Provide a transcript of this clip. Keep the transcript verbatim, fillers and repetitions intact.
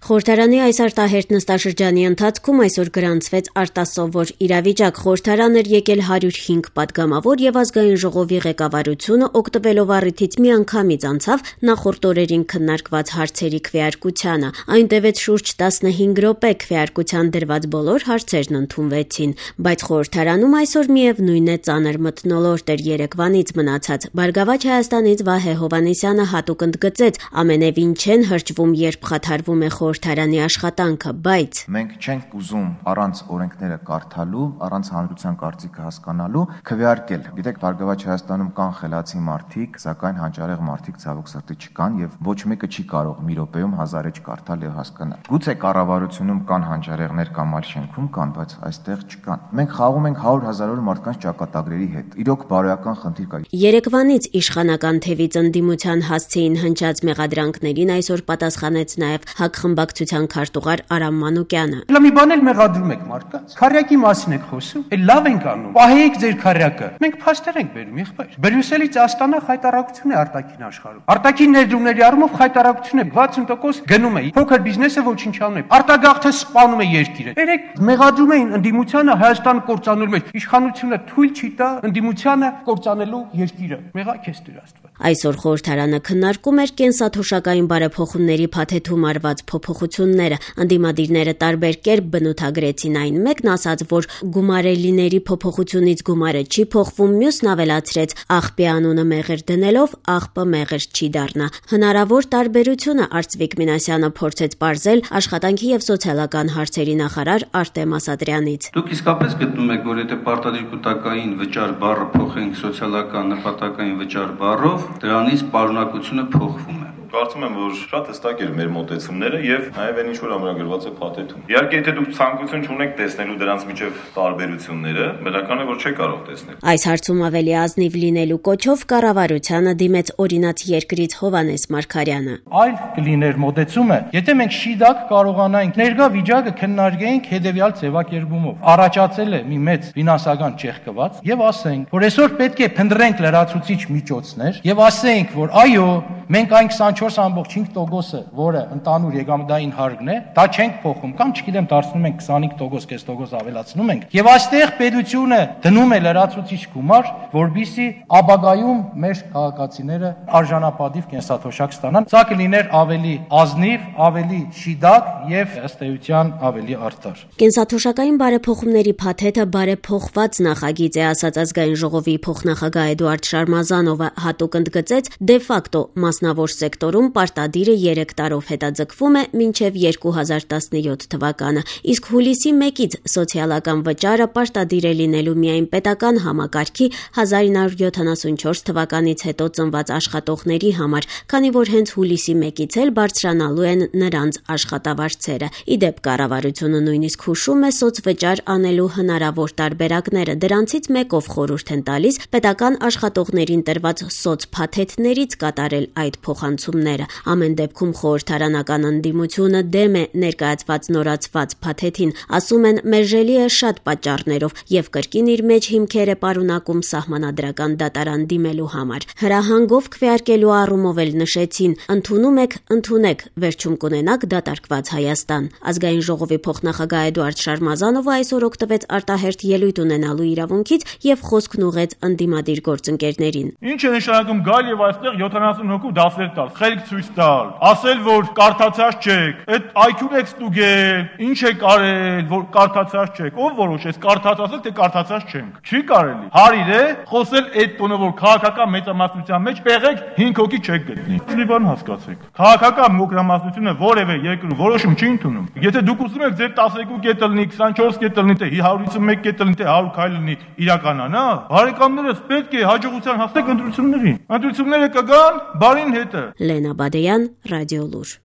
Խորհրդարանի այս արտահերթ նստաշրջանի ընթացքում այսօր գրանցվեց արտասովոր իրավիճակ։ Խորհրդարան էր եկել հարյուր հինգ պատգամավոր եւ ազգային ժողովի ղեկավարությունը օգտվելով առիթից միանգամից անցավ նախորդ օրերին քննարկված հարցերի քվեարկությանը։ Այն տևեց շուրջ տասնհինգ րոպե, քվեարկության դրված բոլոր հարցերն ընդունվեցին, բայց խորհրդարանում այսօր միևնույն է ծանր մթնոլորտ էր երեկվանից մնացած։ Բարգավաճ Հայաստանից Վահե Հովհաննիսյանը հատուկ ընդգծեց, ամենևին չեն հրճվում, երբ խաթարվում է խորհրդարանի աշխատանքը, բայց մենք չենք ուզում առանց օրենքները կարդալու, առանց հանրության կարծիքը հասկանալու քվեարկել։ Գիտեք, Բարգավաճ Հայաստանում կան խելացի մարդիկ, սակայն հանճարեղ մարդիկ ցավոք սրտի չկան եւ ոչ մեկը չի կարող մի րոպեում հազար էջ կարդալ եւ հասկանալ։ Գուցե կառավարությունում կան հանճարեղներ կամ այլ շենքում կան, բայց այստեղ չկան։ Մենք խաղում ենք հարյուր հազարավոր մարդկանց ճակատագրերի հետ։ Իրոք բարոյական խնդիր կա։ Երեկվանից իշխանական թևից ընդդիմության հասցեին հնչած մեղադրանքներին այսօր պատասխանեց նաեւ ՀԱԿ խմբակցության քարտուղար Արամ Մանուկյանը։ Լավ մի բան էլ մեղադրում եք մարդկանց։ Քարյակի մասին եք խոսում։ Էլ լավ ենք անում։ Պահեիք ձեր քարյակը։ Մենք փաստեր ենք բերում, եղբայր։ Բրյուսելից Աստանա խայտարակություն է արտաքին աշխարհում։ Արտաքին ներդրումների առումով խայտարակություն է վաթսուն տոկոս գնում է։ Փոքր բիզնեսը ոչինչ անում է։ Արտագաղթը սպանում է երկիրը։ Երեք մեղադրում էին ընդդիմությանը Հայաստան կործանելու մեջ։ Իշխանությունը թույլ չի տա ընդդիմությանը կործանելու երկիրը։ Մեղա քեզ Տեր Աստված։ Այսօր խորհրդարանը քննարկում էր կենսաթոշակային բարեփոխումների փաթեթում արված փոփոխությունները։ Ընդդիմադիրները տարբեր կերպ բնութագրեցին այն։ Մեկն ասաց, որ գումարելիների փոփոխությունից գումարը չի փոխվում, մյուսն ավելացրեց, աղբի անունը մեղր դնելով աղբը մեղր չի դառնա։ Հնարավոր տարբերությունը Արծվիկ Մինասյանը փորձեց պարզել աշխատանքի եւ սոցիալական հարցերի նախարար Արտեմ Ասատրյանից։ Դուք իսկապես գտնում եք, որ եթե պարտադիր կൂട്ടակային վճար բառը փոխենք սոցիալական նպատակային վճար բառով, դրանից պարունակությունը փոխվում է։ Կարծում եմ, որ շատ հստակ էր մեր մոտեցումները եւ նաեւ այն ինչ որ ամրագրված է փաթեթում։ Իհարկե, եթե դուք ցանկություն չունեք տեսնելու դրանց միջև տարբերությունները, բնական է, որ չեք կարող տեսնել։ Այս հարցում ավելի ազնիվ լինելու կոչով կառավարությանը դիմեց օրինաց երկրից Հովհաննես Մարգարյանը։ Այլ կլիներ մոտեցումը, եթե մենք շիդակ կարողանայինք ներկա վիճակը քննարկենք հետեւյալ ձևակերպումով։ Առաջացել է մի մեծ ֆինանսական ճեղքված եւ ասենք, որ այսօր պետք է փնտրենք լրացուցիչ միջոցներ եւ ասենք, որ այո, մենք այն քսանչորս ամբողջ հինգ տոկոսը, որը ընդանուր եկամտային հարկն է, դա չենք փոխում կամ չգիտեմ դարձնում ենք քսանհինգ տոկոս, կես տոկոս ավելացնում ենք։ Եվ այստեղ պետությունը դնում է լրացուցիչ գումար, որբիսի ապագայում մեր քաղաքացիները արժանապատիվ կենսաթոշակ ստանան։ Սա կլիներ ավելի ազնիվ, ավելի շիդակ եւ ըստ էության ավելի արդար։ Կենսաթոշակային բարեփոխումների փաթեթը բարեփոխված նախագիծ է, ասաց ազգային ժողովի փոխնախագահ Էդուարդ Շարմազանովը, հատուկ ընդգծեց դե ֆակտո մասնավոր սեկտորում պարտադիրը երեք տարով հետաձգվում է մինչև երկու հազար տասնյոթ թվականը, իսկ հուլիսի մեկից սոցիալական վճարը պարտադիր է լինելու միայն պետական համակարգի հազար ինը հարյուր յոթանասունչորս թվականից հետո ծնված աշխատողների համար, քանի որ հենց հուլիսի մեկից էլ բարձրանալու են նրանց աշխատավարձերը։ Ի դեպ, կառավարությունը նույնիսկ հուշում է սոցվճար անելու հնարավոր տարբերակները, դրանցից մեկով խորհուրդ են տալիս պետական աշխատողներին տրված սոցփաթեթներից կատարել այդ փոխանցումները։ Ամեն դեպքում խորհրդարանական ընդդիմությունը դեմ է ներկայացված նորացված փաթեթին, ասում են մերժելի է շատ պատճառներով եւ կրկին իր մեջ հիմքեր է պարունակում սահմանադրական դատարան դիմելու համար։ Հրահանգով քվեարկելու առումով էլ նշեցին, ընդունում եք, ընդունեք, վերջում կունենաք դատարկված Հայաստան։ Ազգային ժողովի փոխնախագահ Էդուարդ Շարմազանովը այսօր օգտվեց արտահերթ ելույթ ունենալու իրավունքից եւ խոսքն ուղղեց ընդդիմադիր գործընկերներին։ Ինչ է նշանակում գալ եւ այստեղ յոթանասուն հոգու դասեր տալ, խելք ցույց տալ, ասել, որ կարդացած չեք, այդ այ քյու եք ստուգել, ինչ եք արել, որ կարդացած չեք, ով որոշեց կարդացած եք, թե կարդացած չենք։ Չի կարելի։ Հարիր է խոսել այդ տոնը, որ քաղաքական մեծամասնության մեջ պեղեք հինգ հոգի չեք գտնի։ Մի բան հասկացեք։ Քաղաքական մոկրամասնությունը որևէ երկրում որոշում չի ընդունում։ Եթե դուք ուզում եք ձեր տասներկու կետը լինի, քսանչորս կետը լինի, թե հարյուր հիսունմեկ կետը լինի, թե հարյուր քայլ լինի, իրականանա, բարեկամներս պետք է հաջողության հասնեք ընտրություններին։ Ընտրությունները կգան բարին հետը։ Լենա Բադեյան, Ռադիոլուր։